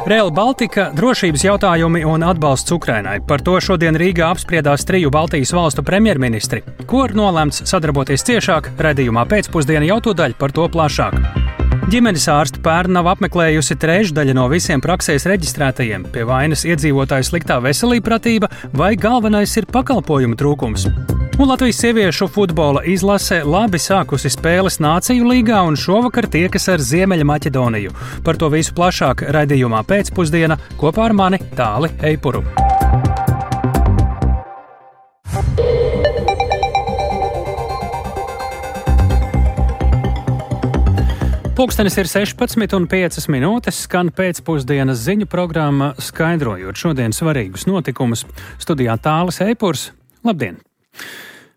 Rail Baltica, drošības jautājumi un atbalsts Ukrainai. Par to šodien Rīgā apspriedās 3 Baltijas valstu premjerministri. Ko ir nolēmts sadarboties ciešāk, raidījumā pēcpusdiena jau tūdaļ par to plašāk. Ģimenes ārste pērn nav apmeklējusi trešdaļa no visiem praksēs reģistrētajiem. Pie vainas iedzīvotāju sliktā veselībpratība vai galvenais ir pakalpojumu trūkums. Un Latvijas sieviešu futbola izlase labi sākusi spēles Nāciju līgā un šovakar tiekas ar Ziemeļmaķedoniju. Par to visu plašāk raidījumā pēcpusdiena kopā ar mani Tāli Eipuru. Pulkstenis ir 16,5 minūtes, skan pēcpusdienas ziņu programma, skaidrojot šodien svarīgus notikumus. Studijā Tālis Eipurs. Labdien!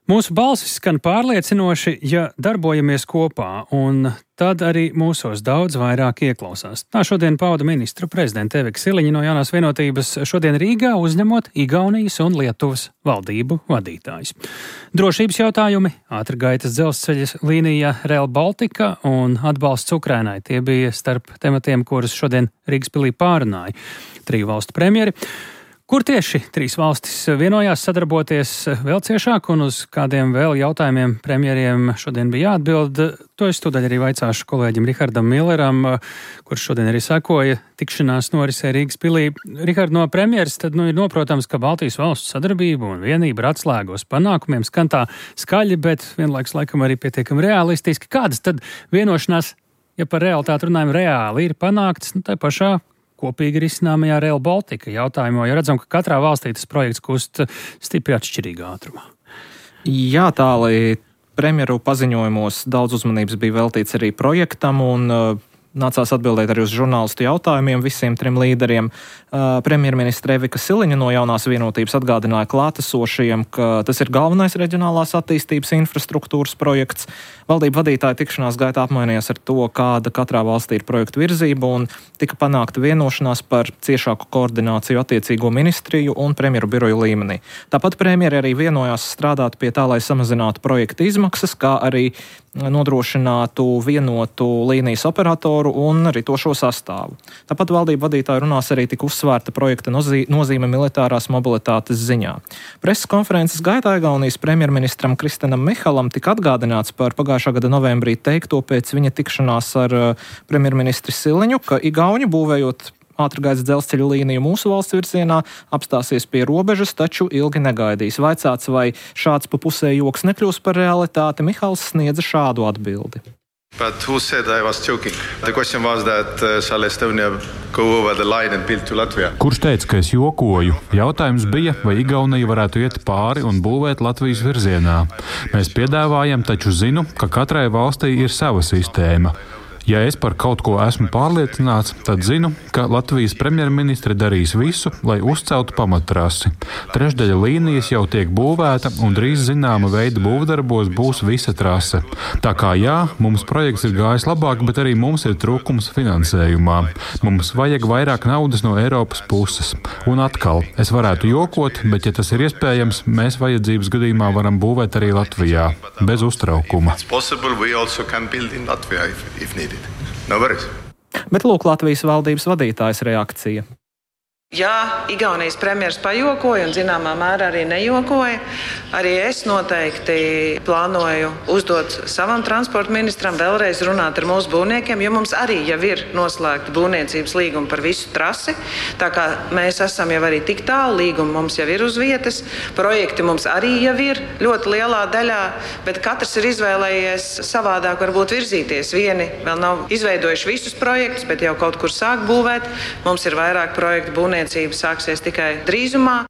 Mūsu balsis skan pārliecinoši, ja darbojamies kopā, un tad arī mūsos daudz vairāk ieklausās. Tā šodien pauda ministru prezidenta Evika Siliņa no Jaunās vienotības šodien Rīgā, uzņemot Igaunijas un Lietuvas valdību vadītājus. Drošības jautājumi, ātrgaitas dzelzceļa līnija Rail Baltica un atbalsts Ukrainai. Tie bija starp tematiem, kurus šodien Rīgas pilī pārunāja 3 valstu premjeri. Kur tieši 3 valstis vienojās sadarboties vēl ciešāk un uz kādiem vēl jautājumiem premjeriem šodien bija jāatbild? To es tūdaļ arī vaicāšu kolēģim Rihardam Milleram, kurš šodien arī sekoja tikšanās norisē Rīgas pilī. Rihard, no premjeras tad ir noprotams, ka Baltijas valstu sadarbība un vienība ir atslēgos panākumiem. Skan tā skaļi, bet vienlaiks laikam arī pietiekami realistiski. Kādas tad vienošanās, ja par realitāti runājam, reāli ir panāktas tā pašā kopīgi risināmajā Rail Baltica jautājumā, jo redzam, ka katrā valstī tas projekts kust stipri atšķirīgā ātrumā. Jā, Tāli, premjeru paziņojumos daudz uzmanības bija veltīts arī projektam un nācās atbildēt arī uz žurnālistu jautājumiem visiem 3 līderiem. Premjerministre Evika Siliņa no Jaunās vienotības atgādināja klātesošajiem, ka tas ir galvenais reģionālās attīstības infrastruktūras projekts. Valdību vadītāji tikšanās gaitā apmainījās ar to, kāda katrā valstī ir projektu virzība, un tika panākta vienošanās par ciešāku koordināciju attiecīgo ministriju un premjeru biroju līmenī. Tāpat premjeri arī vienojās strādāt pie tā, lai samazinātu projekta izmaksas, kā arī nodrošinātu vienotu līnijas operatoru un ritošo sastāvu. Tāpat valdību vadītāji runās arī tik uzsvērta projekta nozīme militārās mobilitātes ziņā. Preses konferences gaitā Igaunijas premjerministram Kristenam Mihalam tika atgādināts par pagājušā gada novembrī teikto pēc viņa tikšanās ar premjerministri Siliņu, ka igauņi būvējot ātrgaitas dzelzceļa līniju mūsu valsts virzienā apstāsies pie robežas, taču ilgi negaidīs. Vaicāts, vai šāds pa pusē joks nekļūs par realitāti, Mihals sniedza šādu atbildi. But who said I was joking? The question was that shall Estonia go over the line and build to Latvia? Kurš teica, ka es jokoju? Jautājums bija, vai Igaunija varētu iet pāri un būvēt Latvijas virzienā. Mēs piedāvājam, taču zinu, ka katrai valstī ir sava sistēma. Ja es par kaut ko esmu pārliecināts, tad zinu, ka Latvijas premjerministre darīs visu, lai uzceltu pamattrasi. Trešdaļa līnijas jau tiek būvēta un drīz zināma veida būvdarbos būs visa trase. Tā kā jā, mums projekts ir gājis labāk, bet arī mums ir trūkums finansējumā. Mums vajag vairāk naudas no Eiropas puses. Un atkal, es varētu jokot, bet ja tas ir iespējams, mēs vajadzības gadījumā varam būvēt arī Latvijā, bez uztraukuma. No worries. Bet lūk Latvijas valdības vadītājas reakcija. Jā, Igaunijas premjeras pajokoja un zināmā mērā arī nejokoja. Arī es noteikti plānoju uzdot savam transporta ministram vēlreiz runāt ar mūsu būvniekiem, jo mums arī jau ir noslēgta būvniecības līguma par visu trasi. Tā kā mēs esam jau arī tik tālu, līguma mums jau ir uz vietas, projekti mums arī jau ir ļoti lielā daļā, bet katrs ir izvēlējies savādāk varbūt virzīties. Vieni vēl nav izveidojuši visus projektus, bet jau kaut kur sāk būvēt. Mums ir vairāk projektu būvniecība. Sāksies tikai drīzumā.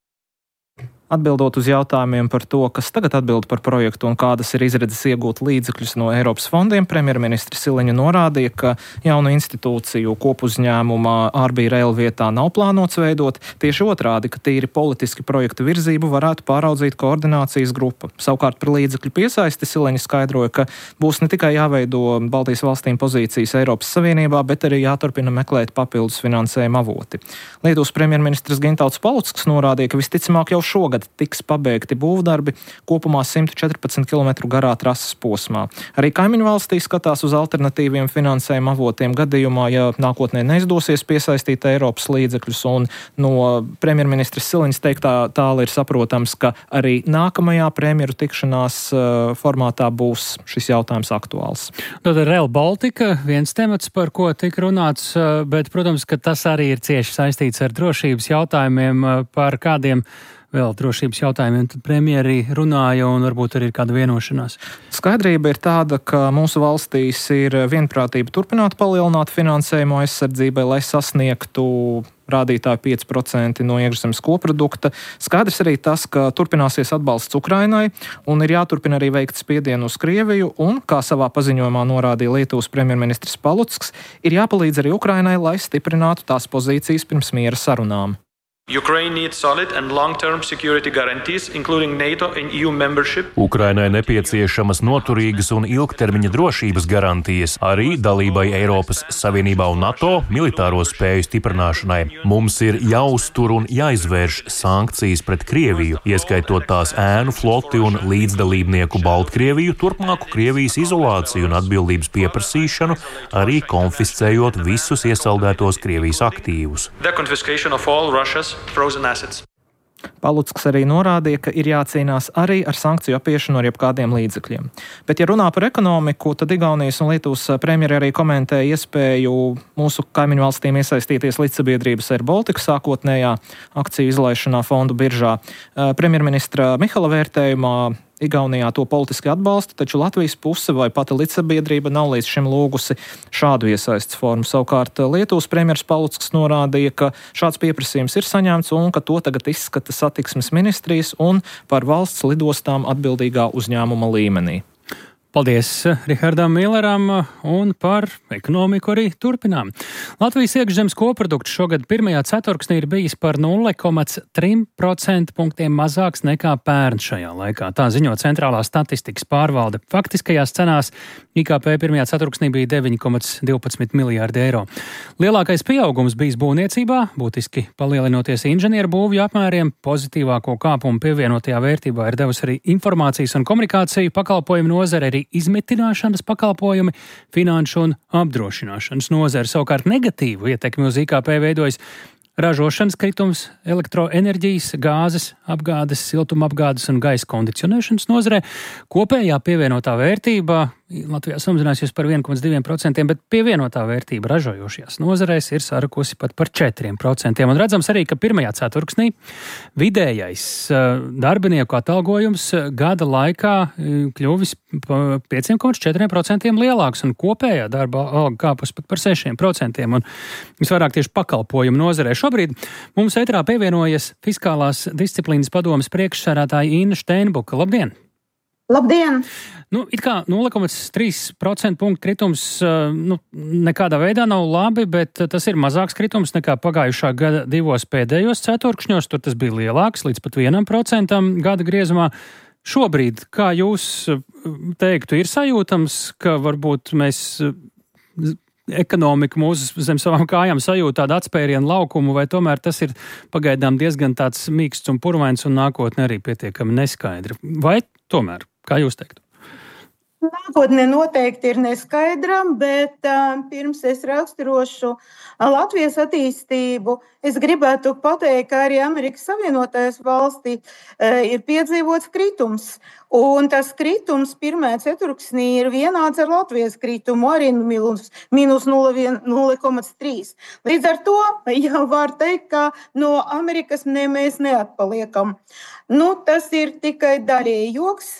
Atbildot uz jautājumiem par to, kas tagad atbild par projektu un kādas ir izredzes iegūt līdzekļus no Eiropas fondiem, premjerministri Siliņa norādīja, ka jaunu institūciju kopuzņēmumā RB Rail vietā nav plānots veidot. Tieši otrādi, ka tīri politiski projektu virzību varētu pāraudzīt koordinācijas grupa. Savukārt par līdzekļu piesaisti Siliņa skaidroja, ka būs ne tikai jāveido Baltijas valstīm pozīcijas Eiropas Savienībā, bet arī jāturpina meklēt papildus finansējuma avoti. Lietuvas premjerministrs Gintauts Palucks norādīja, ka visticamāk jau šogad šogad tiks pabeigti būvdarbi kopumā 114 km garā trases posmā. Arī kaimiņu valstī skatās uz alternatīviem finansējuma avotiem gadījumā, ja nākotnē neizdosies piesaistīt Eiropas līdzekļus, un no premjerministres Siliņas teiktā tāla ir saprotams, ka arī nākamajā premjeru tikšanās formātā būs šis jautājums aktuāls. Tad Rail Baltica, viens temats, par ko tika runāts, bet, protams, ka tas arī ir cieši saistīts ar drošības jautājumiem, par kādiem vēl drošības jautājumiem tad premjeri runāja un varbūt arī ir kāda vienošanās. Skaidrība ir tāda, ka mūsu valstīs ir vienprātība turpināt palielināt finansējumu aizsardzībai, lai sasniegtu rādītāju 5% no iekšzemes koprodukta. Skaidrs arī tas, ka turpināsies atbalsts Ukrainai un ir jāturpina arī veikt spiedienu uz Krieviju un, kā savā paziņojumā norādīja Lietuvas premjerministrs Palucks, ir jāpalīdz arī Ukrainai, lai stiprinātu tās pozīcijas pirms miera sarunām. Ukraine needs solid and long-term security guarantees, including NATO and EU membership. Ukrainai nepieciešamas noturīgas un ilgtermiņa drošības garantijas arī dalībai Eiropas Savienībā un NATO militāro spēju stiprināšanai. Mums ir jāuztur un jāizvērš sankcijas pret Krieviju, ieskaitot tās ēnu floti un līdzdalībnieku Baltkrieviju, turpmāku Krievijas izolāciju un atbildības pieprasīšanu, arī konfiscējot visus iesaldētos Krievijas aktīvus. The confiscation of all Russia's frozen assets. Palucks arī norādīja, ka ir jācīnās arī ar sankciju apiešanu ar jebkādiem līdzekļiem. Bet, ja runā par ekonomiku, tad Igaunijas un Lietuvas premjeri arī komentēja iespēju mūsu kaimiņu valstīm iesaistīties līdzsabiedrības Air Baltica sākotnējā akciju izlaišanā fondu biržā. Premjerministra Mihala vērtējumā Igaunijā to politiski atbalsta, taču Latvijas puse vai pati līdzsabiedrība nav līdz šim lūgusi šādu iesaistes formu. Savukārt Lietuvas premjers Palucks norādīja, ka šāds pieprasījums ir saņemts un ka to tagad izskata satiksmes ministrijas un par valsts lidostām atbildīgā uzņēmuma līmenī. Paldies Rihardam Milleram, un par ekonomiku arī turpinām. Latvijas iekšzemes koprodukts šogad pirmajā ceturksnī ir bijis par 0,3% punktiem mazāks nekā pērn šajā laikā. Tā ziņo Centrālā statistikas pārvalde. Faktiskajās cenās IKP pirmajā ceturksnī bija 9,12 miljārdi eiro. Lielākais pieaugums bijis būvniecībā, būtiski palielinoties inženieru būvju apmēriem. Pozitīvāko kāpumu pievienotajā vērtībā ir devusi arī informācijas un komunikāciju pakalpojumu nozare, arī izmitināšanas pakalpojumi, finanšu un apdrošināšanas nozare. Savukārt negatīvu ietekmi uz IKP veidojas ražošanas kritums, elektroenerģijas, gāzes apgādes, siltumapgādes un gaisa kondicionēšanas nozarē. Kopējā pievienotā vērtība Latvijā samazinājusies par 1,2%, bet pievienotā vērtība ražojošajās nozarēs ir sarakusi pat par 4%. Un redzams arī, ka pirmajā ceturksnī vidējais darbinieku atalgojums gada laikā kļuvis par 5,4% lielāks, un kopējā darba alga kāpus pat par 6%. Un visvairāk tieši pakalpojumu nozarē. Šobrīd mums ētrā pievienojas Fiskālās disciplīnas padomes priekšsēdētāja Inna Steinbuka. Labdien! Labdien! It kā 0,3% punktu kritums nekādā veidā nav labi, bet tas ir mazāks kritums nekā pagājušā gada divos pēdējos ceturkšņos. Tur tas bija lielāks, līdz pat 1% gada griezumā. Šobrīd, kā jūs teiktu, ir sajūtams, ka varbūt mēs ekonomika mūsu zem savām kājām sajūt tādu atspērienu laukumu, vai tomēr tas ir pagaidām diezgan tāds mīksts un purvains un nākotne arī pietiekami neskaidra? Vai tomēr, kā jūs teiktu? Nākotne noteikti ir neskaidra, bet pirms es raksturošu Latvijas attīstību, es gribētu pateikt, ka arī Amerikas Savienotajās valstī ir piedzīvots kritums. Un tas kritums pirmajā ceturksnī ir vienāds ar Latvijas kritumu, arī mīnus 0,3. Līdz ar to jau var teikt, ka no Amerikas mēs neatpaliekam. Tas ir tikai daļēji joks.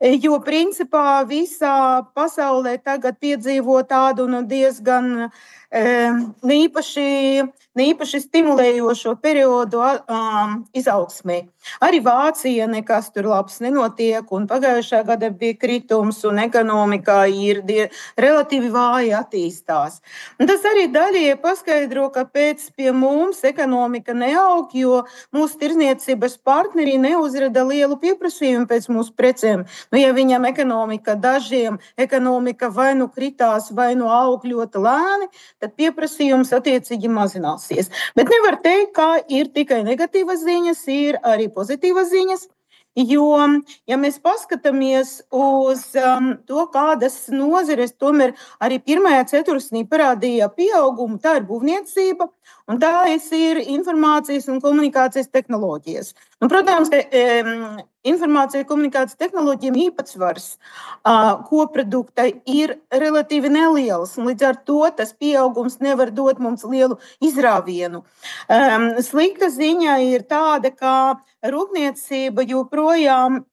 Jo principā visā pasaulē tagad piedzīvo tādu diezgan neīpaši stimulējošo periodu izaugsmē. Arī Vācija nekas tur labs nenotiek, un pagājušā gada bija kritums, un ekonomikā ir relatīvi vāji attīstās. Un tas arī daļēji paskaidro, kāpēc pie mums ekonomika neaug, jo mūsu tirdzniecības partneri neuzrada lielu pieprasījumu pēc mūsu precēm. Ja viņam dažiem ekonomika vai nu kritās, vai nu aug ļoti lēni, tad pieprasījums attiecīgi mazināsies. Bet nevar teikt, ka ir tikai negatīvas ziņas, ir arī pozitīvas ziņas. Jo, ja mēs paskatāmies uz to, kādas nozares tomēr arī pirmajā ceturksnī parādīja pieaugumu, tā ir būvniecība un tā ir informācijas un komunikācijas tehnoloģijas. Protams, informācija un komunikācijas tehnoloģijām īpatsvars koprodukta ir relatīvi neliels, un līdz ar to tas pieaugums nevar dot mums lielu izrāvienu. Slikta ziņa ir tāda, ka rūpniecība joprojām,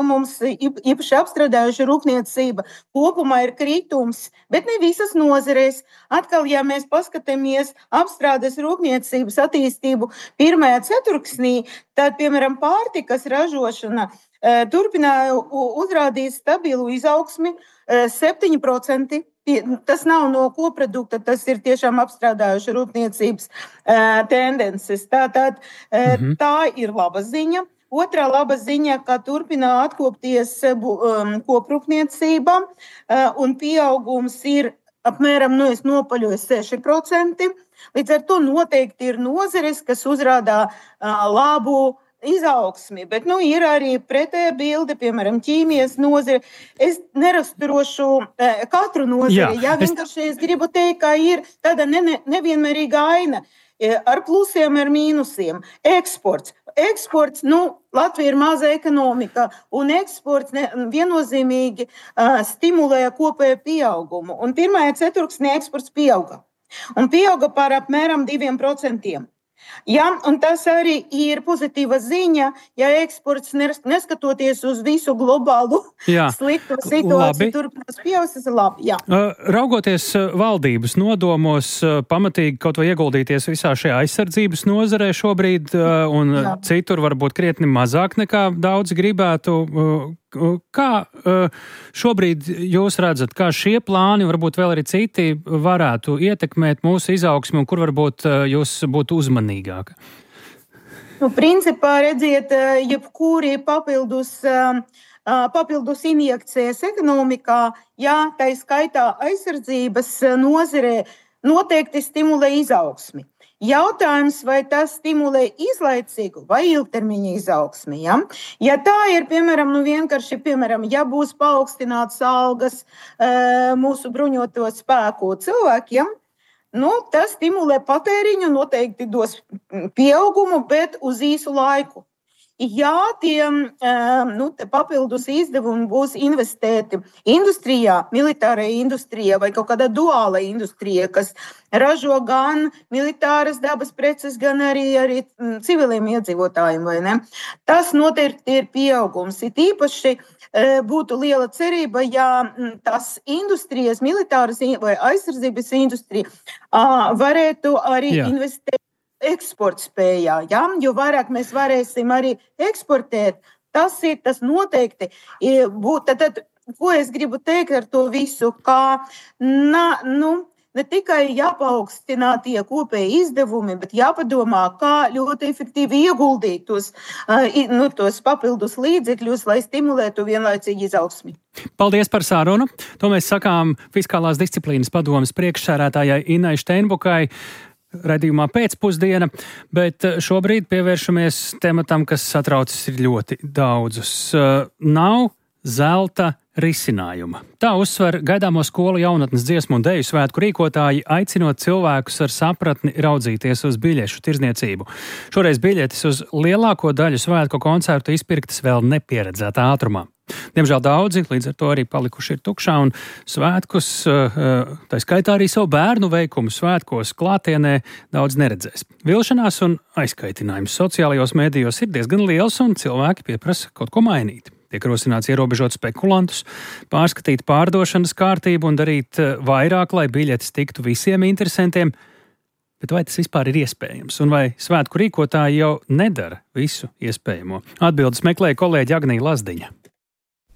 mums īpaši apstrādājuša rūpniecība kopumā ir kritums, bet ne visas nozarēs. Atkal, ja mēs paskatāmies apstrādes rūpniecības attīstību pirmajā ceturksnī, tad, piemēram, pārtikas ražošana turpināja uzrādīt stabilu izaugsmi 7%. Tas nav no koprodukta, tas ir tiešām apstrādājuša rūpniecības tendences. Tā ir laba ziņa. Otrā laba ziņa, ka turpina atkopties koprūpniecība un pieaugums ir apmēram, es nopaļoju 6%. Līdz ar to noteikti ir nozares, kas uzrādā labu izaugsmi, bet ir arī pretēja bilde, piemēram, ķīmijas nozare. Es neraksturošu katru nozari, vienkārši es gribu teikt, ka ir tāda nevienmērīga aina ar plusiem, ar mīnusiem. Eksports, Latvija ir maza ekonomika, un eksports viennozīmīgi stimulē kopēju pieaugumu. Un pirmajā ceturksnī eksports pieauga. Un pieauga par apmēram 2%. Un tas arī ir pozitīva ziņa, ja eksports neskatoties uz visu globālu slikto situāciju turpinās pieaugt, tas ir labi. Raugoties valdības nodomos pamatīgi kaut vai ieguldīties visā šajā aizsardzības nozarē šobrīd un citur varbūt krietni mazāk nekā daudz gribētu, kā šobrīd jūs redzat, kā šie plāni, varbūt vēl arī citi, varētu ietekmēt mūsu izaugsmi un kur varbūt jūs būtu uzmanīgāka? Principā, redziet, jebkuri papildus injekcijas ekonomikā, tā skaitā aizsardzības nozarē, noteikti stimulē izaugsmi. Jautājums, vai tas stimulē izlaicīgu vai ilgtermiņa izaugsmi? Ja tā ir, piemēram, ja būs paaugstināts algas mūsu bruņoto spēku cilvēkiem, tas stimulē patēriņu, noteikti dos pieaugumu, bet uz īsu laiku. Ja tie papildus izdevumi būs investēti industrijā, militārajā industrijā vai kaut kādā duāla industrijā, kas ražo gan militāras dabas preces, gan arī civiliem iedzīvotājiem, vai ne? Tas noteikti ir pieaugums. It īpaši būtu liela cerība, ja tas industrijas, militāras vai aizsardzības industrija varētu arī investēt eksporta spējā, jo vairāk mēs varēsim arī eksportēt, tas noteikti būtu. Tad, ko es gribu teikt ar to visu, ka ne tikai jāpaukstina tie kopēji izdevumi, bet jāpadomā, kā ļoti efektīvi ieguldīt tos papildus līdzekļus, lai stimulētu vienlaicīgi izaugsmi. Paldies par sarunu. To mēs sakām Fiskālās disciplīnas padomes priekšsēdētājai Innai Steinbukai raidījumā pēcpusdiena, bet šobrīd pievēršamies tematam, kas satraucis ir ļoti daudzus. Nav zelta risinājuma. Tā uzsver gaidāmo skolu jaunatnes dziesmu un deju svētku rīkotāji, aicinot cilvēkus ar sapratni raudzīties uz biļešu tirdzniecību. Šoreiz biļetes uz lielāko daļu svētku koncertu izpirktas vēl nepieredzētā ātrumā. Diemžēl daudzi līdz ar to arī palikuši ir tukšā un svētkus, tā skaitā arī savu bērnu veikumu svētkos klātienē daudz neredzēs. Vilšanās un aizkaitinājums sociālajos mēdījos ir diezgan liels un cilvēki pieprasa kaut ko mainīt. Tiek rosināts ierobežot spekulantus, pārskatīt pārdošanas kārtību un darīt vairāk, lai biļetes tiktu visiem interesantiem. Bet vai tas vispār ir iespējams? Un vai svētku rīkotāji jau nedara visu iespējamo? Atbildes meklēja kolēģi Agnija Lazdiņa.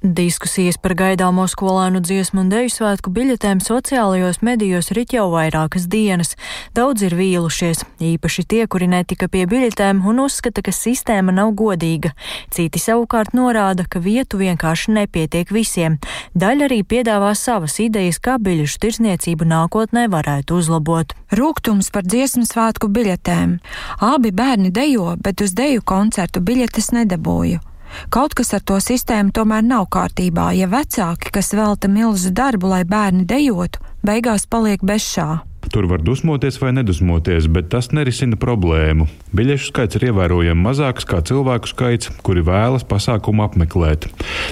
Diskusijas par gaidāmo skolēnu dziesmu un deju svētku biļetēm sociālajos medijos rit jau vairākas dienas. Daudz ir vīlušies, īpaši tie, kuri netika pie biļetēm un uzskata, ka sistēma nav godīga. Citi savukārt norāda, ka vietu vienkārši nepietiek visiem. Daļa arī piedāvā savas idejas, kā biļešu tirdzniecību nākotnē varētu uzlabot. Rūgtums par dziesmu svētku biļetēm. Abi bērni dejo, bet uz deju koncertu biļetes nedabūju. Kaut kas ar to sistēmu tomēr nav kārtībā, ja vecāki, kas velta milzu darbu, lai bērni dejotu, beigās paliek bez šā. Tur var dusmoties vai nedusmoties, bet tas nerisina problēmu. Biļešu skaits ir ievērojami mazāks kā cilvēku skaits, kuri vēlas pasākumu apmeklēt.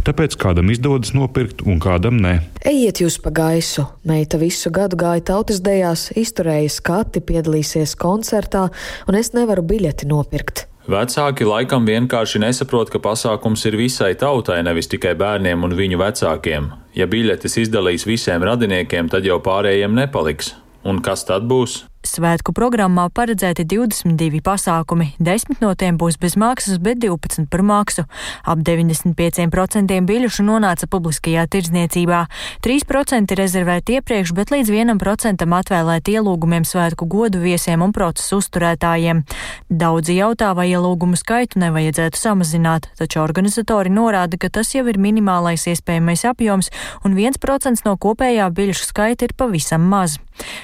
Tāpēc kādam izdodas nopirkt un kādam ne. Ejiet jūs pa gaisu. Meita visu gadu gāja tautas dejās, izturēja skati, piedalīsies koncertā, un es nevaru biļeti nopirkt. Vecāki laikam vienkārši nesaprot, ka pasākums ir visai tautai, nevis tikai bērniem un viņu vecākiem. Ja biļetes izdalīs visiem radiniekiem, tad jau pārējiem nepaliks. Un kas tad būs? Svētku programmā paredzēti 22 pasākumi, 10 no tiem būs bez maksas, bet 12 par maksu. Ap 95% biļešu nonāca publiskajā tirdzniecībā, 3% rezervēti iepriekš, bet līdz 1% atvēlēti ielūgumiem svētku godu viesiem un procesu uzturētājiem. Daudzi jautā, vai ielūgumu skaitu nevajadzētu samazināt, taču organizatori norāda, ka tas jau ir minimālais iespējamais apjoms un 1% no kopējā biļešu skaita ir pavisam maz.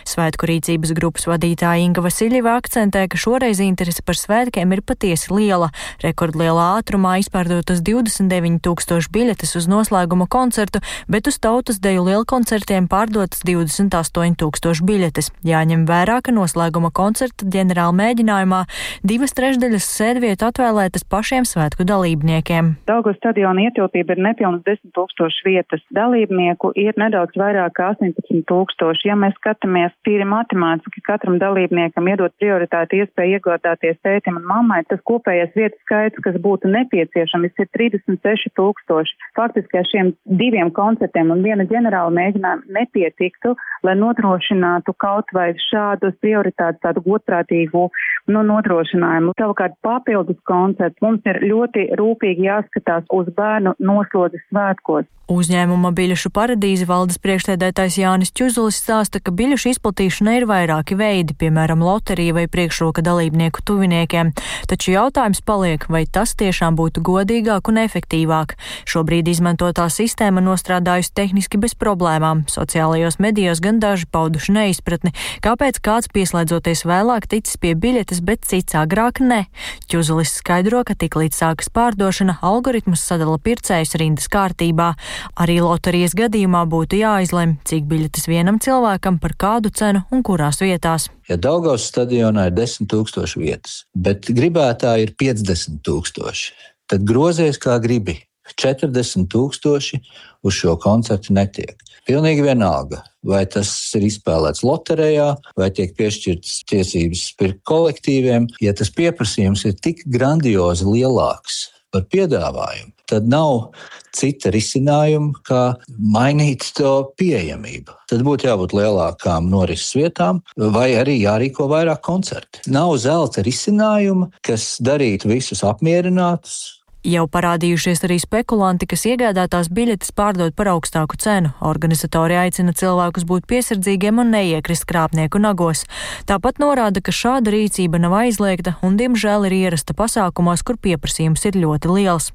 Svētku rīcības grupas vadītāja Inga Vasiļeva akcentē, ka šoreiz interese par svētkiem ir patiesi liela. Rekordlielā ātrumā izpārdotas 29,000 biļetes uz noslēguma koncertu, bet uz tautas deju lielkoncertiem pārdotas 28,000 biļetes. Jāņem vērā, ka noslēguma koncerta ģenerāla mēģinājumā 2/3 sēdvietu atvēlētas pašiem svētku dalībniekiem. Daugavas stadiona ietilpība ir nepilnas 10,000 vietas. Dalībnieku ir nedaudz vairāk kā 18,000. Ja mēs skatāmies tīri matemātiski, katram dalībniekam iedot prioritāti iespēju iegādāties tētim un mammai, tas kopējais vietu skaits, kas būtu nepieciešams, ir 36,000. Faktiski ar šiem 2 koncertiem un 1 ģenerāla mēģinājumu nepietiktu, lai nodrošinātu kaut vai šādus prioritātus, tādu godprātīgu nodrošinājumu. Savukārt papildus koncerts mums ir ļoti rūpīgi jāskatās uz bērnu noslodzes svētkos. Uzņēmuma biļešu paradīze valdes priekšsēdētājs Jānis Čuzulis stāsta, ka biļešu izplatīšanai ir vairāki veidi, piemēram, loterija vai priekšroka dalībnieku tuviniekiem. Taču jautājums paliek, vai tas tiešām būtu godīgāk un efektīvāk. Šobrīd izmantotā sistēma nostrādājusi tehniski bez problēmām. Sociālajos medijos gan daži pauduši neizpratni, kāpēc kāds pieslēdzoties vēlāk ticis pie biļetes, bet cits agrāk ne. Čuzulis skaidro, ka tik līdz sākas pārdošana, algoritmus sadala pircējus rindas kārtībā. Arī loterijas gadījumā būtu jāizlem, cik biļetes vienam cilvēkam, par kādu cenu un kurās vietās. Ja Daugavas stadionā ir 10,000 vietas, bet gribētāji ir 50,000, tad grozies kā gribi. 40,000 uz šo koncertu netiek. Pilnīgi vienalga, vai tas ir izspēlēts loterijā, vai tiek piešķirtas tiesības pirkt kolektīviem. Ja tas pieprasījums ir tik grandiozi lielāks par piedāvājumu, tad nav cita risinājuma, kā mainīt to pieejamību. Tad būtu jābūt lielākām norises vietām, vai arī jārīko vairāk koncerti. Nav zelta risinājuma, kas darītu visus apmierinātus. Jau parādījušies arī spekulanti, kas iegādātās biļetes pārdod par augstāku cenu. Organizatori aicina cilvēkus būt piesardzīgiem un neiekrist krāpnieku nagos. Tāpat norāda, ka šāda rīcība nav aizliegta un, diemžēl, ir ierasta pasākumos, kur pieprasījums ir ļoti liels.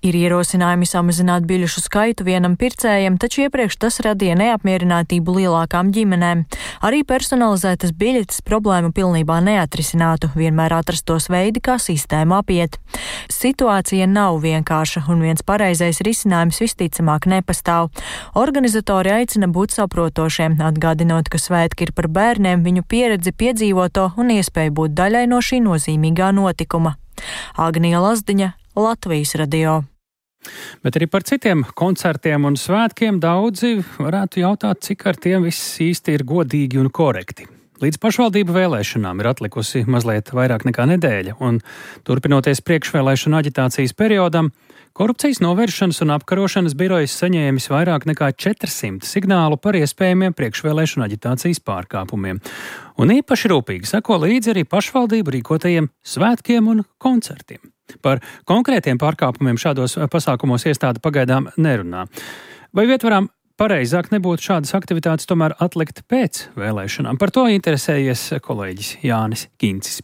Ir ierosinājumi samazināt biļešu skaitu vienam pircējam, taču iepriekš tas radīja neapmierinātību lielākām ģimenēm. Arī personalizētas biļetes problēmu pilnībā neatrisinātu, vienmēr atrastos veidi, kā sistēmu apiet. Situācija nav vienkārša un viens pareizais risinājums visticamāk nepastāv. Organizatori aicina būt saprotošiem, atgādinot, ka svētki ir par bērniem, viņu pieredzi, piedzīvoto un iespēju būt daļai no šī nozīmīgā notikuma. Agnija Lazdiņa, Latvijas radio. Bet arī par citiem koncertiem un svētkiem daudzi varētu jautāt, cik ar tiem viss īsti ir godīgi un korekti. Līdz pašvaldību vēlēšanām ir atlikusi mazliet vairāk nekā nedēļa, un turpinoties priekšvēlēšanu aģitācijas periodam, Korupcijas novēršanas un apkarošanas birojas saņēmis vairāk nekā 400 signālu par iespējamiem priekšvēlēšanu aģitācijas pārkāpumiem. Un īpaši rūpīgi seko līdzi arī pašvaldību rīkotajiem svētkiem un koncertiem. Par konkrētiem pārkāpumiem šādos pasākumos iestāde pagaidām nerunā. Vai vietvarām pareizāk nebūtu šādas aktivitātes tomēr atlikt pēc vēlēšanām? Par to interesējies kolēģis Jānis Kincis.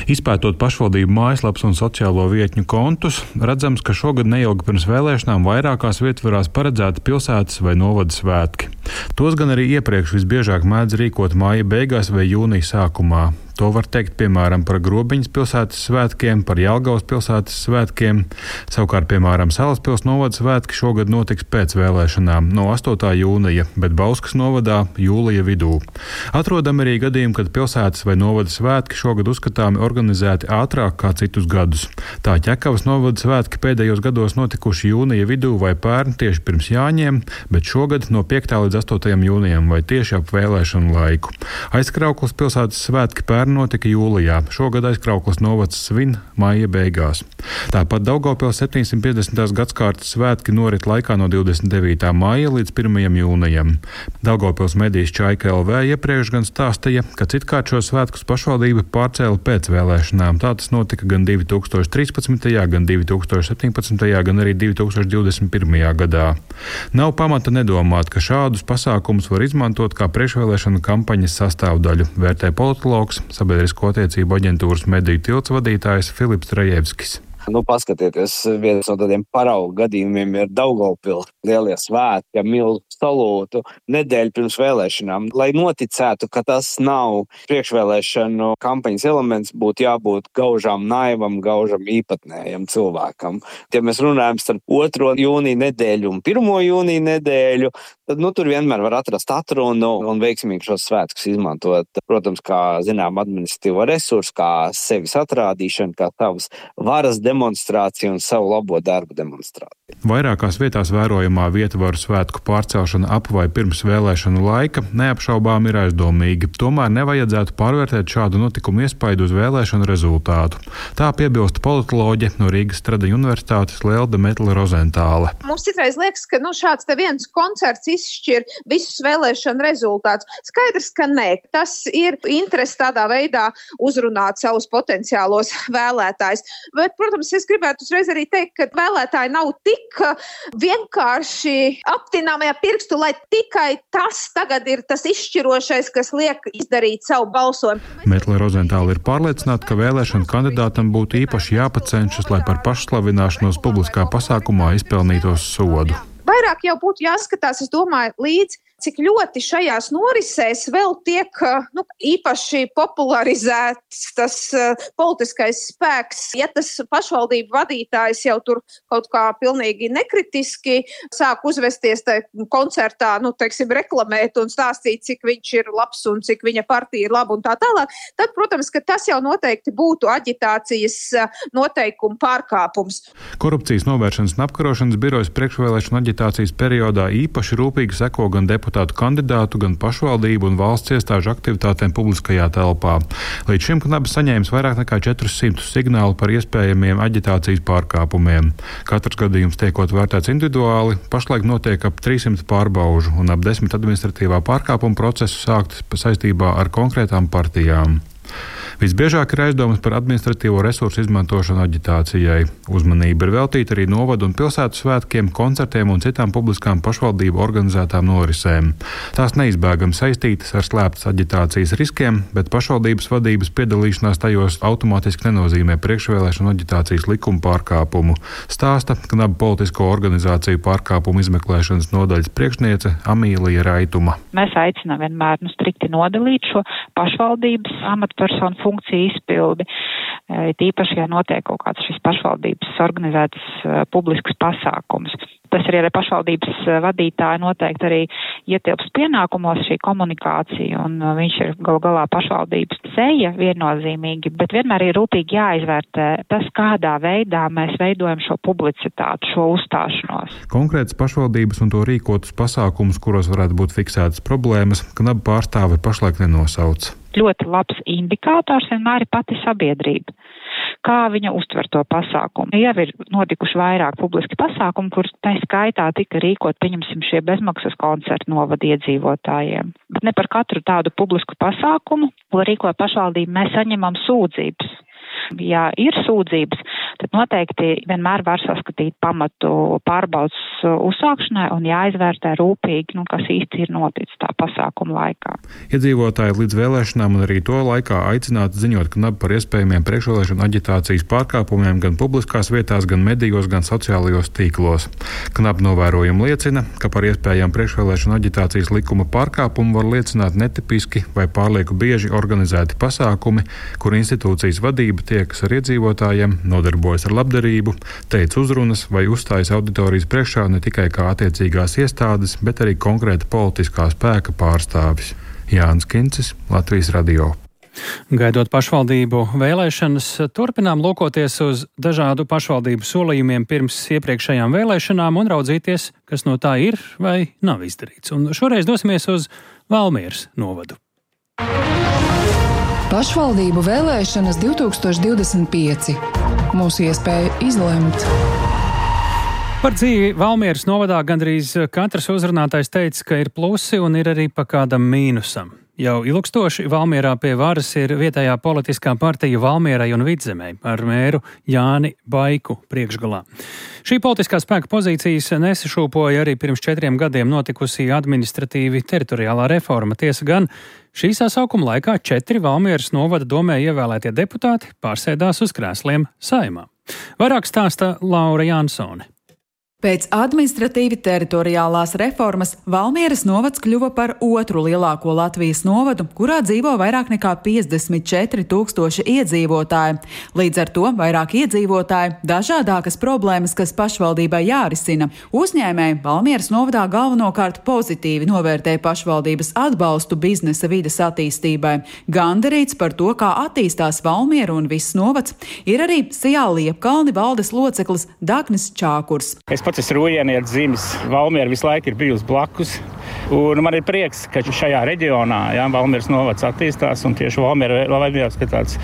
Izpētot pašvaldību mājaslapas un sociālo vietņu kontus, redzams, ka šogad neilgi pirms vēlēšanām vairākās vietvarās paredzēti pilsētas vai novada svētki. Tos gan arī iepriekš visbiežāk mēdz rīkot māja beigās vai jūnija sākumā. To var teikt, piemēram, par Grobiņas pilsētas svētkiem, par Jelgavas pilsētas svētkiem. Savukārt, piemēram, Salaspils novada svētki šogad notiks pēc vēlēšanām no 8. jūnija, bet Bauskas novadā jūlija vidū. Atrodam arī gadījumi, kad pilsētas vai novada svētki šogad uzskatāmi organizēti ātrāk kā citus gadus. Tā Ķekavas novada svētki pēdējos gados notikuši jūnija vidū vai pērn tieši pirms Jāņiem, bet šogad no 5. līdz 8. jūnijam vai tieši ap vēlēšanu laiku. Aizkrauklas pilsētas svētki pērn notika jūlijā. Šogad Aizkrauklas novads svin maija beigās. Tāpat Daugavpils 750. gadskārtas svētki norit laikā no 29. maija līdz 1. jūnijam. Daugavpils medijas Čaika LV iepriekš gan stāstīja, ka citkārt šo svētkus pašvaldība pārcēla pēc vēlēšanām. Tā tas notika gan 2013., gan 2017., gan arī 2021. gadā. Nav pamata nedomāt, ka šādus pasākumus var izmantot kā priekšvēlēšanu kampaņas sastāvdaļu, vērtē politologs, Sabiedrisko attiecību aģentūras mediju tilts vadītājs Filips Trajevskis. Paskatieties, viens no tādiem paraugu gadījumiem ir Daugavpils lielie svētki, milzu salūtu nedēļu pirms vēlēšanām. Lai noticētu, ka tas nav priekšvēlēšanu kampaņas elements, būtu jābūt gaužām naivam, gaužam īpatnējam cilvēkam. Ja mēs runājam starp 2. jūnija nedēļu un 1. jūnija nedēļu, tad tur vienmēr var atrast atrunu un veiksmīgi šos svētkus izmantot. Protams, kā administratīvo resursu, kā sevis atrādīšanu, kā savas varas demonstrāciju un savu labo darbu demonstrāciju. Vairākās vietās vērojamā vietvaru svētku pārcelšana ap vai pirms vēlēšanu laika neapšaubām ir aizdomīga. Tomēr nevajadzētu pārvērtēt šādu notikumu iespaidu uz vēlēšanu rezultātu. Tā piebilst politoloģe no Rīgas Stradiņu universitātes Lelde Metle-Rozentāle. Mums citreiz liekas, ka šāds te viens koncerts izšķir visus vēlēšanu rezultātus. Skaidrs, ka nē. Tas ir interesi tādā veidā uzrunāt savus potenciālos vēlētājus. Bet, protams, es gribētu uzreiz arī teikt, ka vēlētāji nav tik vienkārši aptināmajā pirkstu, lai tikai tas tagad ir tas izšķirošais, kas liek izdarīt savu balsojumu. Metle-Rozentāle ir pārliecināta, ka vēlēšanu kandidātam būtu īpaši jāpacenšas, lai par pašslavināšanos publiskā pasākumā izpelnītos sodu. Vairāk jau būtu jāskatās, es domāju, līdz cik ļoti šajās norisēs vēl tiek īpaši popularizēts tas politiskais spēks. Ja tas pašvaldību vadītājs jau tur kaut kā pilnīgi nekritiski sāk uzvesties koncertā, reklamēt un stāstīt, cik viņš ir labs un cik viņa partija ir laba un tā tālāk, tad, protams, ka tas jau noteikti būtu aģitācijas noteikumu pārkāpums. Korupcijas novēršanas un apkarošanas birojas priekšvēlēšanu aģitācijas periodā īpaši rūpīgi seko gan deputātu kandidātu, gan pašvaldību un valsts iestāžu aktivitātēm publiskajā telpā. Līdz šim Knabis saņēmis vairāk nekā 400 signālu par iespējamiem aģitācijas pārkāpumiem. Katrs gadījums tiekot vērtēts individuāli, pašlaik notiek ap 300 pārbaužu un ap 10 administratīvā pārkāpuma procesu sāktas saistībā ar konkrētām partijām. Visbiežāk ir aizdomas par administratīvo resursu izmantošanu aģitācijai. Uzmanība ir veltīta arī novadu un pilsētu svētkiem, koncertiem un citām publiskām pašvaldību organizētām norisēm. Tās neizbēgami saistītas ar slēptas aģitācijas riskiem, bet pašvaldības vadības piedalīšanās tajos automātiski nenozīmē priekšvēlēšanu aģitācijas likuma pārkāpumu, stāsta Knabu politisko organizāciju pārkāpumu izmeklēšanas nodaļas priekšniece Amīlija Raituma. Mēs aicinām vienmēr strikti nodalīt šo pašvaldības amatpersonu funkciju izpildi, tīpaši, ja notiek kaut kāds šis pašvaldības organizētas publisks pasākums. Tas arī pašvaldības vadītāji noteikti arī ietilps pienākumos šī komunikācija, un viņš ir galu galā pašvaldības seja viennozīmīgi, bet vienmēr ir rūpīgi jāizvērtē tas, kādā veidā mēs veidojam šo publicitātu, šo uzstāšanos. Konkrētas pašvaldības un to rīkotus pasākumus, kuros varētu būt fiksētas problēmas, Knabu pārstāve pašlaik nenosauc. Ļoti labs indikators vienmēr ir pati sabiedrība. kā viņa uztver to pasākumu. Jau ir notikuši vairāk publiski pasākumi, kur tā skaitā tika rīkot, pieņemsim, šie bezmaksas koncerti novada iedzīvotājiem. Bet ne par katru tādu publisku pasākumu, ko rīkoja pašvaldība, mēs saņemam sūdzības. Ja ir sūdzības, tad noteikti vienmēr var saskatīt pamatu pārbaudas uzsākšanai un jāizvērtē rūpīgi, kas īsti ir noticis tā pasākuma laikā. Iedzīvotāji līdz vēlēšanām un arī to laikā aicināti ziņot KNAB par iespējamiem priekšvēlēšanu aģitācijas pārkāpumiem gan publiskās vietās, gan medijos, gan sociālajos tīklos. KNAB novērojumi liecina, ka par iespējamu priekšvēlēšanu aģitācijas likuma pārkāpumu var liecināt netipiski vai pārlieku bieži organizēti pasākumi, kur institūcijas vadība tiekas ar iedzīvotājiem, nodarbojas ar labdarību, teica uzrunas vai uzstājas auditorijas priekšā ne tikai kā attiecīgās iestādes, bet arī konkrēta politiskā spēka pārstāvis. Jānis Kincis, Latvijas radio. Gaidot pašvaldību vēlēšanas, turpinām lūkoties uz dažādu pašvaldību solījumiem pirms iepriekšējām vēlēšanām un raudzīties, kas no tā ir vai nav izdarīts. Un šoreiz dosimies uz Valmieras novadu. Pašvaldību vēlēšanas 2025. Mūsu iespēja izlemt. Par dzīvi Valmieras novadā gandrīz katrs uzrunātais teica, ka ir plusi un ir arī pa kādam mīnusam. Jau ilgstoši Valmierā pie varas ir vietējā politiskā partija Valmierai un Vidzemei ar mēru Jāni Baiku priekšgalā. Šī politiskā spēka pozīcijas nesašūpoja arī pirms 4 gadiem notikusī administratīvi teritoriālā reforma. Tiesa gan, šī sasaukuma laikā 4 Valmieras novada domē ievēlētie deputāti pārsēdās uz krēsliem Saeimā. Vairāk stāsta Laura Jansone. Pēc administratīvi teritoriālās reformas Valmieras novads kļuva par otru lielāko Latvijas novadu, kurā dzīvo vairāk nekā 54 000 iedzīvotāji. Līdz ar to vairāk iedzīvotāji, dažādākas problēmas, kas pašvaldībai jārisina. Uzņēmēji Valmieras novadā galvenokārt pozitīvi novērtē pašvaldības atbalstu biznesa vides attīstībai. Gandarīts par to, kā attīstās Valmiera un viss novads, ir arī Sijā Liepkalni valdes loceklis Dagnis Čākurs. Es Rūjienieks dzimis, Valmiera visu laiku ir bijusi blakus. Un man ir prieks, ka šajā reģionā Valmieras novads attīstās un tieši Valmiera ir tāds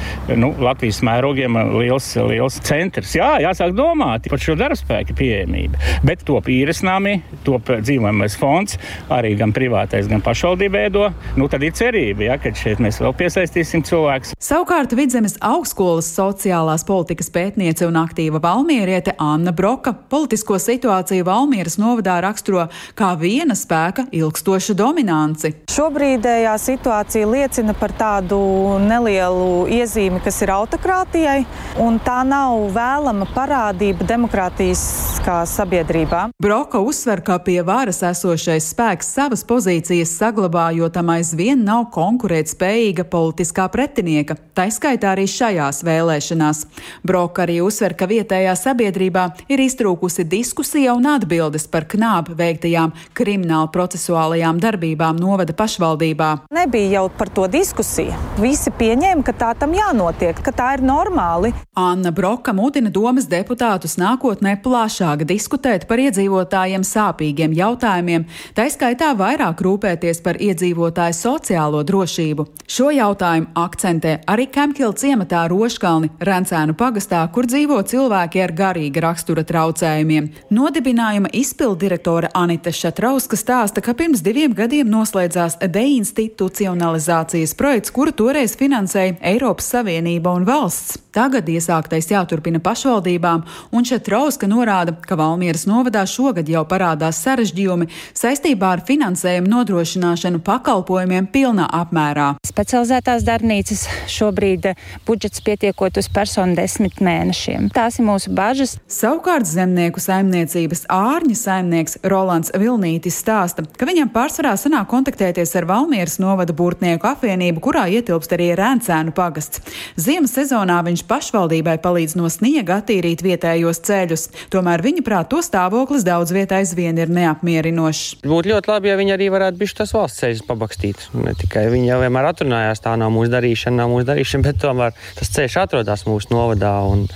Latvijas mērogiem liels centrs. Jāsāk domāt par šo darbspēku pieejamību. Bet top īresnami, top dzīvojamais fonds, arī gan privātais, gan pašvaldība ēdo. Tad ir cerība, ka šeit mēs vēl piesaistīsim cilvēkus. Savukārt Vidzemes augstskolas sociālās politikas pētniece un aktīva valmieriete Anna Broka politisko situāciju Valmieras novadā raksturo kā viena spēka ilgstošu dominanci. Šobrīdējā situācija liecina par tādu nelielu iezīmi, kas ir autokrātijai, un tā nav vēlama parādība demokrātiskā sabiedrībā. Broka uzsver, ka pie varas esošais spēks savas pozīcijas saglabā, jo tam aizvien nav konkurētspējīga politiskā pretinieka, taiskaitā arī šajās vēlēšanās. Broka arī uzsver, ka vietējā sabiedrībā ir iztrūkusi diskusija un atbildes par KNAB veiktajām krimināla procesuālajām darbībām novada pašvaldībā. Nebija jau par to diskusija. Visi pieņēma, ka tā tam jānotiek, ka tā ir normāli. Anna Broka mudina domas deputātus nākotnē plašāk diskutēt par iedzīvotājiem sāpīgiem jautājumiem, taiskaitā vairāk rūpēties par iedzīvotāju sociālo drošību. Šo jautājumu akcentē arī Kempkila ciematā Roškalni, Rencēnu pagastā, kur dzīvo cilvēki ar garīga rakstura traucējumiem. Nodibinājuma izpilddirektore Anita Šatrauska stāsta, ka pirms 2 gadiem noslēdzās deinstitucionalizācijas projekts, kuru toreiz finansēja Eiropas Savienība un valsts. Tagad iesāktais jāturpina pašvaldībām, un Šatrauska norāda, ka Valmieras novadā šogad jau parādās sarežģījumi saistībā ar finansējumu nodrošināšanu pakalpojumiem pilnā apmērā. Specializētās darbnīcas šobrīd budžets pietiekot uz personu 10 mēnešiem. Tās ir mūsu bažas. Savukārt zemnieku saimniecības ārņa saimnieks Rolands Vilnītis stāsta, ka viņam pārsvarā sanāk kontaktēties ar Valmieras novada burtnieku apvienību, kurā ietilpst arī Rencēnu pagasts. Ziemas sezonā viņš pašvaldībai palīdz no sniega attīrīt vietējos ceļus. Tomēr viņa prāt to stāvoklis daudz vietā aizvien ir neapmierinošs. Būtu ļoti labi, ja viņi arī varētu bišķi tas valsts ceļus pabakstīt. Ne tikai viņi jau vienmēr atrunājās, tā nav mūsu darīšana, bet tomēr tas ceļš atrodas mūsu novadā un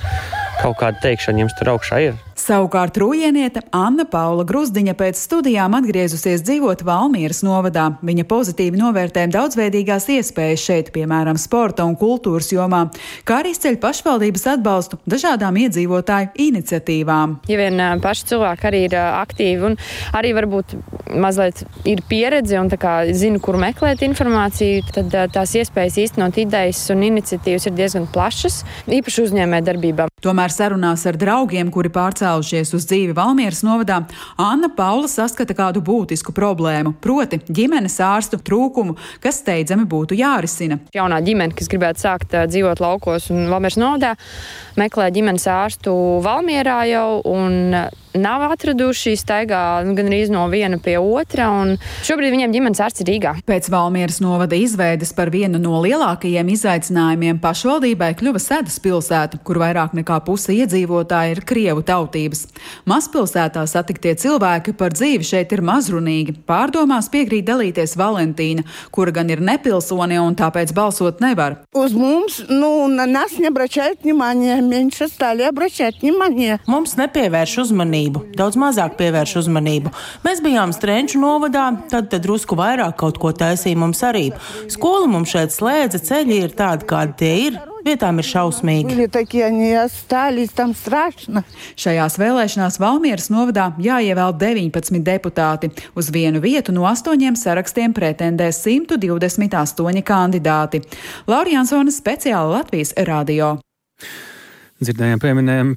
kaut kāda teikšana jums tur augšā ir. Savukārt rūjieniete Anna Paula Gruzdiņa pēc studijām atgriezusies dzīvot Valmieras novadā. Viņa pozitīvi novērtē daudzveidīgās iespējas šeit, piemēram, sporta un kultūras jomā, kā arī izceļ pašvaldības atbalstu dažādām iedzīvotāju iniciatīvām. Ja vien paši cilvēki arī ir aktīvi un arī varbūt mazliet ir pieredze un tā kā zina, kur meklēt informāciju, tad tās iespējas īstenot idejas un iniciatīvas ir diezgan plašas, īpaši uzņēmē darbībā. Tomēr sarunās ar draugiem, kuri pārcēlušies uz dzīvi Valmieras novadā, Anna Paula saskata kādu būtisku problēmu, proti ģimenes ārstu trūkumu, kas steidzami būtu jārisina. Jaunā ģimene, kas gribētu sākt dzīvot laukos un Valmieras novadā, meklē ģimenes ārstu Valmierā jau un nav atraduši, staigā gan arī no viena pie otra, un šobrīd viņiem ģimenes ārsts ir Rīgā. Pēc Valmieras novada izveides par vienu no lielākajiem izaicinājumiem pašvaldībai kļuva Sedas pilsēta, kur vairāk nekā puse iedzīvotāji ir krievu tautības. Mazpilsētā satiktie cilvēki par dzīvi šeit ir mazrunīgi. Pārdomās piekrīt dalīties Valentīna, kura gan ir nepilsone un tāpēc balsot nevar. Uz mums, на нас не обращают внимания, меньше стали обращать внимание. Mums nepievērš uzmanību. Daudz mazāk pievērš uzmanību. Mēs bijām Strenču novadā, tad drusku vairāk kaut ko taisīja mums arī. Skola mums šeit slēdza, ceļi ir tādi, kādi tie ir. Vietām ir šausmīgi. Šajās vēlēšanās Valmieras novadā jāievēl 19 deputāti. Uz vienu vietu no 8 sarakstiem pretendē 128 kandidāti. Laura Jansone, speciāli Latvijas radio. Dzirdējām,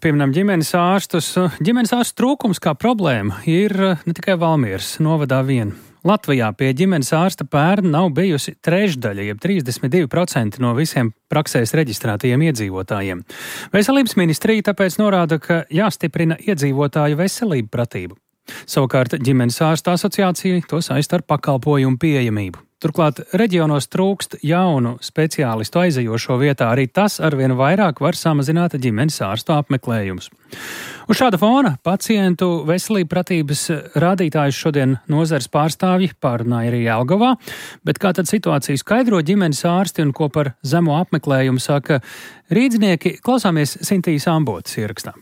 pieminām ģimenes ārstus. Ģimenes ārstu trūkums kā problēma ir ne tikai Valmieras novadā vien. Latvijā pie ģimenes ārsta pērn nav bijusi trešdaļa, jeb 32% no visiem praksēs reģistrētajiem iedzīvotājiem. Veselības ministrija tāpēc norāda, ka jāstiprina iedzīvotāju veselību pratību. Savukārt ģimenes ārsta asociācija to saista ar pakalpojumu pieejamību. Turklāt reģionos trūkst jaunu speciālistu aizejošo vietā, arī tas arvien vairāk var samazināt ģimenes ārstu apmeklējumus. Uz šāda fona pacientu veselību pratības rādītājus šodien nozares pārstāvji pārunāja arī Jelgavā, bet kā tad situāciju skaidro ģimenes ārsti un ko par zemo apmeklējumu saka rīdznieki, klausāmies Sintīs Ambotas ierakstā.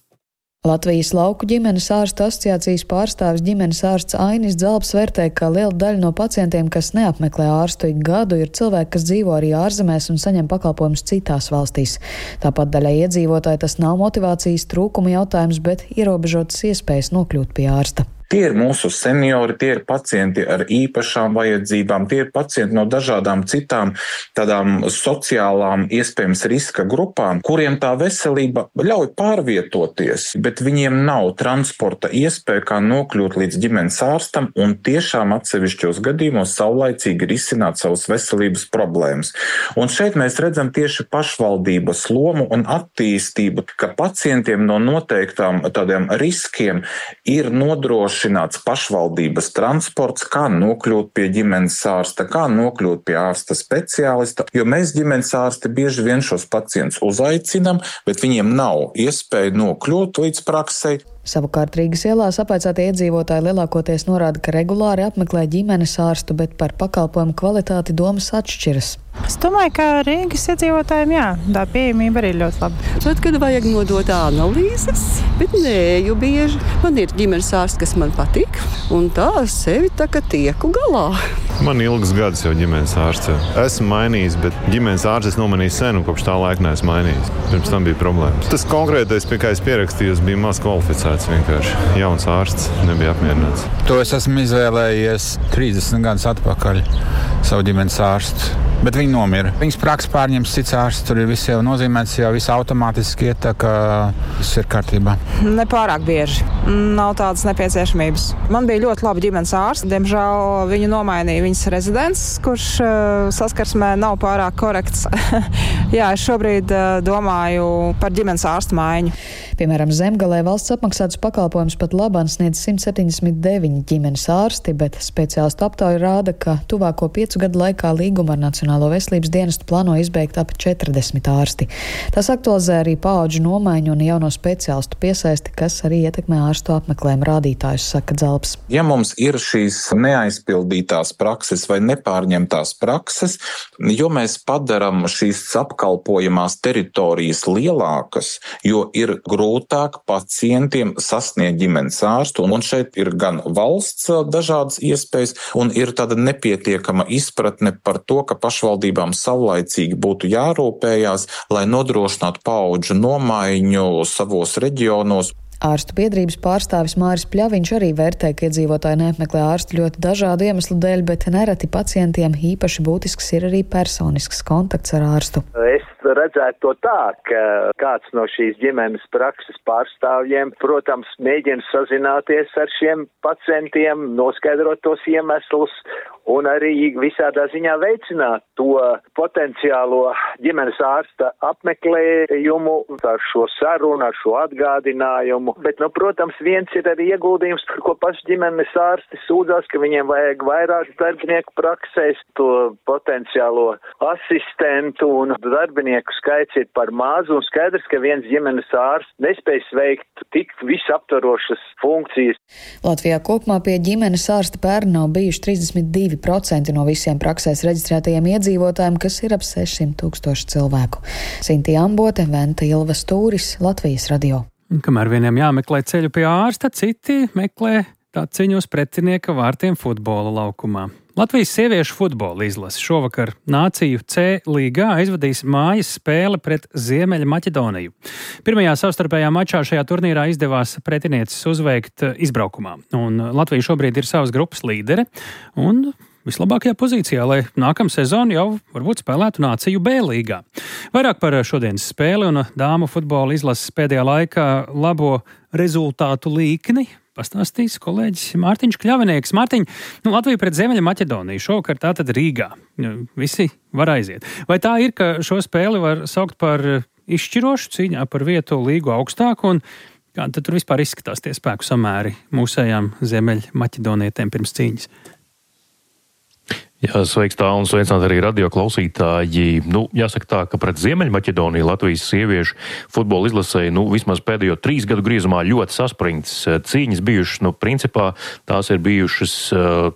Latvijas lauku ģimenes ārstu asociācijas pārstāvis ģimenes ārsts Ainis Dzalbs vērtē, ka liela daļa no pacientiem, kas neapmeklē ārstu ik gadu, ir cilvēki, kas dzīvo arī ārzemēs un saņem pakalpojumus citās valstīs. Tāpat daļai iedzīvotāji tas nav motivācijas trūkuma jautājums, bet ierobežotas iespējas nokļūt pie ārsta. Tie ir mūsu seniori, tie ir pacienti ar īpašām vajadzībām, tie ir pacienti no dažādām citām tādām sociālām, iespējams, riska grupām, kuriem tā veselība ļauj pārvietoties, bet viņiem nav transporta iespēja, kā nokļūt līdz ģimenes ārstam un tiešām atsevišķos gadījumos saulaicīgi risināt savas veselības problēmas. Un šeit mēs redzam tieši pašvaldības lomu un attīstību, ka pacientiem no noteiktām tādiem riskiem ir nodrošināts pašvaldības transports, kā nokļūt pie ģimenes ārsta, kā nokļūt pie ārsta speciālista, jo mēs ģimenes ārsti bieži vien šos pacientus uzaicinam, bet viņiem nav iespēja nokļūt līdz praksei. Savukārt Rīgas ielās apēcātie iedzīvotāji lielākoties norāda, ka regulāri apmeklē ģimenes ārstu, bet par pakalpojumu kvalitāti domas atšķiras. Es domāju, ka Rīgas iedzīvotājiem, tā pieejamība arī ļoti laba. Tad, kad vajag nodot analīzes, bet neju bieži. Man ir ģimenes ārsts, kas man patīk, un tā sevi tā kā tieku galā. Man ilgs gads jau ģimenes ārsts. Esmu mainījis, bet ģimenes ārsts es nomanīju sen, un kopš tā laika neesmu mainījis. Pirms tam bija problēmas. Tas konkrētais, pie kā es pierakstījos, bija maz kvalificēts vienkārši. Jauns ārsts nebija apmierināts. To es esmu izvēlējies 30 gadus atpakaļ savu ģimenes ārstu. Bet viņi nomira. Viņas praksa pārņems cits ārsts, tur ir viss jau nozīmēts, jau viss automātiski iet, tā kā viss ir kārtībā. Nepārāk bieži. Nav tādas nepieciešamības. Man bija ļoti laba ģimenes ārsts. Diemžēl viņu nomainīja viņas rezidents, kurš saskarsmē nav pārāk korekts. Jā, es šobrīd domāju par ģimenes ārstu maiņu. Piemēram, Zemgalē valsts apmaksātus pakalpojumus pat labāk sniedz 179 ģimenes ārsti, bet speciālistu aptauja rāda, ka tuvāko 5 gadu laikā līgumu ar Nacionālo veselības dienestu plāno izbeigt ap 40 ārsti. Tas aktualizē arī paudžu nomaiņu un jauno speciālistu piesaisti, kas arī ietekmē ārstu apmeklējumu rādītājus, saka Dzalbs. Ja mums ir šīs neaizpildītās prakses vai nepārņemtās prakses, jo mēs padaram šīs apkalpojumus apkalpojamās teritorijas lielākas, jo ir grūtāk pacientiem sasniegt ģimenes ārstu, un šeit ir gan valsts dažādas iespējas, un ir tāda nepietiekama izpratne par to, ka pašvaldībām savlaicīgi būtu jārūpējās, lai nodrošinātu paudžu nomaiņu savos reģionos. Ārstu biedrības pārstāvis Māris Pļaviņš arī vērtē, ka iedzīvotāji neapmeklē ārstu ļoti dažādu iemeslu dēļ, bet nereti pacientiem īpaši būtisks ir arī personisks kontakts ar ārstu. Es redzētu to tā, ka kāds no šīs ģimenes prakses pārstāvjiem, protams, mēģina sazināties ar šiem pacientiem, noskaidrot tos iemeslus un arī visādā ziņā veicināt to potenciālo ģimenes ārsta apmeklējumu ar šo sarunu, ar šo atgādinājumu. Bet, protams, viens ir arī ieguldījums, par ko paši ģimenes ārsti sūdzās, ka viņiem vajag vairāk darbinieku praksēs, to potenciālo asistentu un darbinieku skaits ir par mazu, un skaidrs, ka viens ģimenes ārsts nespējas veikt tik visaptvarošas funkcijas. Latvijā kopumā pie ģimenes ārsta pērn nav bijuši 32% no visiem praksēs reģistrētajiem iedzīvotājiem, kas ir ap 600,000 cilvēku. Sintī Ambote, Venta Ilva Stūris, Latvijas radio. Kamēr vieniem jāmeklē ceļu pie ārsta, citi meklē taciņu uz pretinieka vārtiem futbola laukumā. Latvijas sieviešu futbola izlase šovakar Nāciju C līgā aizvadīs mājas spēle pret Ziemeļa Maķedoniju. Pirmajā savstarpējā mačā šajā turnīrā izdevās pretinieces uzveikt izbraukumā, un Latvija šobrīd ir savas grupas līdere un vislabākajā pozīcijā, lai nākamā sezona jau varbūt spēlētu Nāciju B līgā. Vairāk par šodienas spēli un dāmu futbola izlases pēdējā laikā labo rezultātu līkni pastāstīs kolēģis Mārtiņš Kļavinieks. Mārtiņ, Latvija pret Ziemeļa Maķedoniju šovakar tātad Rīgā. Visi var aiziet. Vai tā ir, ka šo spēli var saukt par izšķirošu cīņā par vietu līgu augstāku, un kāda tad tur vispār izskatās tie spēku samēri mūsējām Ziemeļa Maķedonietēm pirms cīņas? Jā, sveiks tā un sveicināt arī radio klausītāji. Jāsaka tā, ka pret Ziemeļmaķedoniju Latvijas sieviešu futbola izlasēja, vismaz pēdējo 3 gadu griezumā ļoti saspringts cīņas bijušas. Principā tās ir bijušas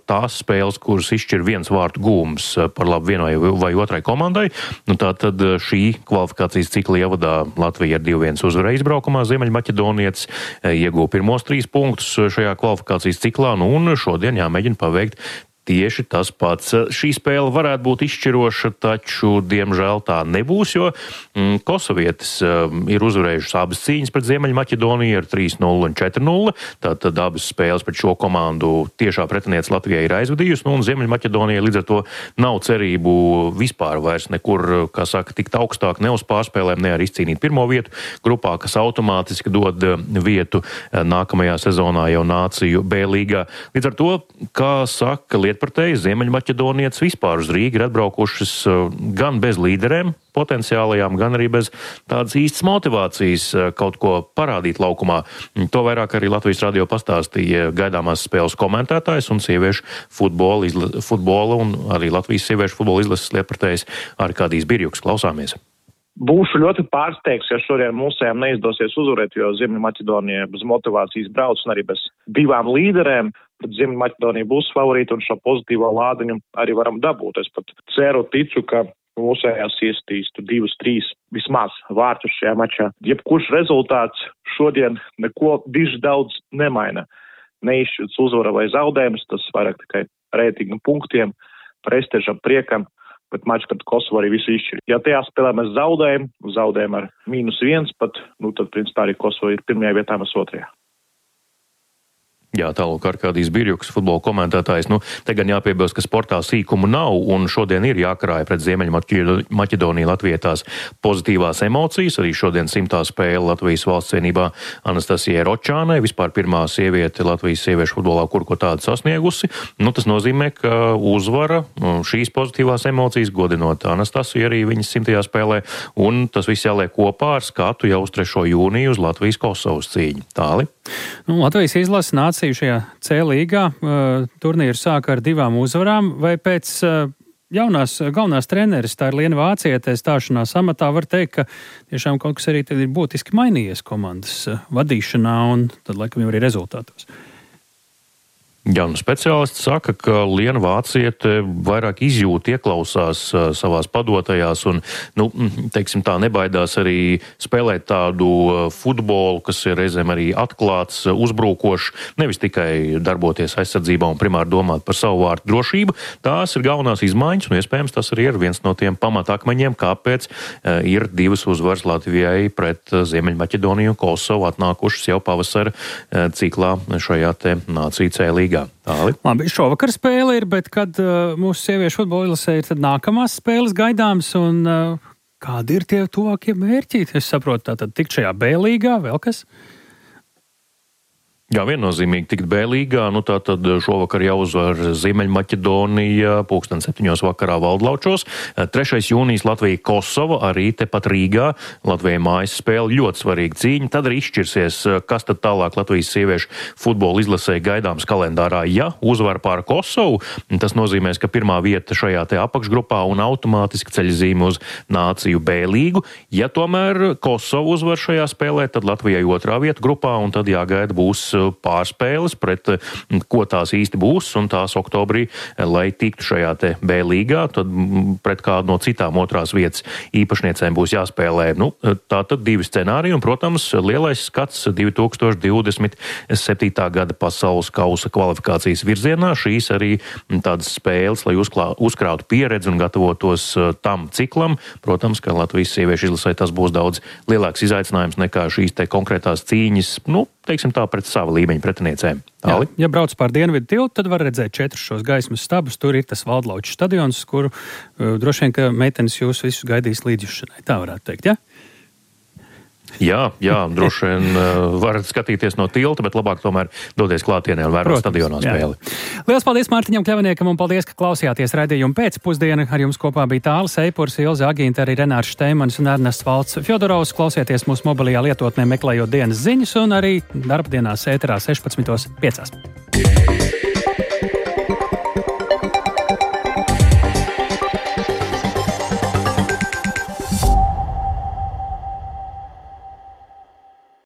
tās spēles, kuras izšķir viens vārtu gūms par labu vienai vai otrai komandai. Tātad šī kvalifikācijas cikla ievadā Latvija ar 2-1 uzvarēja izbraukumā. Ziemeļmaķedonietis ieguva pirmos 3 punktus šajā kvalifikācijas ciklā, un šodien jāmēģina paveikt tieši tas pats. Šī spēle varētu būt izšķiroša, taču, diemžēl, tā nebūs, jo kosovietis ir uzvarējušas abas cīņas pret Ziemeļmaķedoniju ar 3-0 un 4-0. Tātad abas spēles pret šo komandu tiešā pretiniece Latvijai ir aizvadījusi, un Ziemeļmaķedonijai līdz ar to nav cerību vispār vairs nekur, kā saka, tikt augstāk, ne uz pārspēlēm, ne arī izcīnīt pirmo vietu grupā, kas automātiski dod vietu nākamajā sezonā jau Nāciju B līgā. Līdz ar to, kā saka lietpratēji, Ziemeļmaķedonietis vispār uz Rīgu ir atbraukušas gan bez līderēm potenciālajām, gan arī bez tādas īstas motivācijas kaut ko parādīt laukumā. To vairāk arī Latvijas radio pastāstīja gaidāmās spēles komentētājs un sieviešu futbola un arī Latvijas sieviešu futbola izlases lietpratējs Arkādijs Birjuks. Klausāmies. Būšu ļoti pārsteigts, ja šodien mūsējām neizdosies uzvarēt, jo Ziemeļmaķedonija bez motivācijas brauc un arī bez 2 līderēm. Tad Ziemeļmaķedonija būs favorīta un šo pozitīvo lādiņu arī varam dabūt. Es pat ceru, ticu, ka mūsējās iestīs 2-3 vismaz vārtus šajā mačā. Jebkurš rezultāts šodien neko diži daudz nemaina. Neizšķirts uzvara vai zaudējums, tas vairāk tikai reitinga punktiem, prestižam, priekam. Bet mačs pret Kosovu arī visu izšķir. Ja tajā spēlē mēs zaudējam ar -1 pat, tad principā arī Kosovu ir pirmajā vietā, mēs otrajā. Jā, tālūk Arkādijs Birjuks, futbola komentētājs. Te gan jāpiebilst, ka sportā sīkumu nav, un šodien ir jākarāja pret Ziemeļmaķedoniju Latvijai tās pozitīvās emocijas. Arī šodien 100. spēle Latvijas valsts cienībā Anastasijai Ročānai, vispār pirmā sieviete Latvijas sieviešu futbolā, kur ko tādu sasniegusi. Tas nozīmē, ka uzvara šīs pozitīvās emocijas, godinot Anastasiju arī viņas 100. spēlē, un tas viss jāliek kopā ar skatu jau uz 3. jūniju uz Latvijas-Kosovas cīņu. Tāli? Latvijas izlase Nāciju šajā C līgā. Turnīru sāka ar 2 uzvarām, vai pēc galvenās treneris, tā ir Liena Vāciete, stāšanās amatā, var teikt, ka tiešām kaut kas arī ir būtiski mainījies komandas vadīšanā un tad laikam jau arī rezultātos. Jā, speciālisti saka, ka Liena Vāciete vairāk izjūt, ieklausās savās padotajās un, teiksim tā, nebaidās arī spēlēt tādu futbolu, kas ir reizēm arī atklāts, uzbrukošs, nevis tikai darboties aizsardzībā un primāri domāt par savu vārtu drošību. Tās ir galvenās izmaiņas, un iespējams tas arī ir viens no tiem pamatakmeņiem, kāpēc ir 2 uzvaras Latvijai pret Ziemeļmaķedoniju un Kosovu atnākušas jau pavasara ciklā šajā te nāciju C līgā. Labi, šovakar spēle ir, bet kad mūsu sieviešu futbola izlasē ir tad nākamās spēles gaidāmas un kādi ir tie tuvākie mērķi? Es saprotu, tātad tikt šajā B līgā, vēl kas? Jā, viennozīmīgi tikt B līgā, tātad šovakar jāuzvar Ziemeļmaķedonija 7:00 vakarā Valdlaučos. 3. jūnijas Latvija Kosova, arī tepat Rīgā. Latvijai mājas spēle, ļoti svarīga cīņa. Tad arī izšķirsies, kas tad tālāk Latvijas sieviešu futbola izlasē gaidāms kalendārā. Ja uzvar pār Kosovu, tas nozīmēs, ka pirmā vieta šajā te apakšgrupā un automātiski ceļzīme uz nāciju B līgu. Ja tomēr Kosovu uzvar šajā spēlē, tad Latvijai 2. vieta grupā un tad jāgaida būs pārspēles pret ko tās īsti būs, un tās oktobrī, lai tiktu šajā te B līgā, tad pret kādu no citām 2. vietas īpašniecēm būs jāspēlē. Tātad 2 scenāriji, un, protams, lielais skats 2027. gada pasaules kausa kvalifikācijas virzienā. Šīs arī tādas spēles, lai uzkrātu pieredzi un gatavotos tam ciklam. Protams, ka Latvijas sieviešu izlasē tas būs daudz lielāks izaicinājums nekā šīs te konkrētās cīņas, teiksim tā, pret savu līmeņu pretiniecēm. Ja brauc pār Dienvidu tiltu, tad var redzēt 4 šos gaismas stabus. Tur ir tas Valdlauču stadions, kuru droši vien, ka meitenes jūs visus gaidīs līdzjušanai. Tā varētu teikt, ja? Jā, droši vien varat skatīties no tilta, bet labāk tomēr doties klātienē un vērot stadionā spēli. Lielas paldies Mārtiņam Kļaviniekam un paldies, ka klausījāties raidījumu pēcpusdienu. Ar jums kopā bija Tālis Eipurs, Ilze Agīnta, arī Renārs Šteimanis un Ernests Valts Fjodorovs. Klausieties mūsu mobilajā lietotnē, meklējot dienas ziņas un arī darbdienās ēterā 16:05.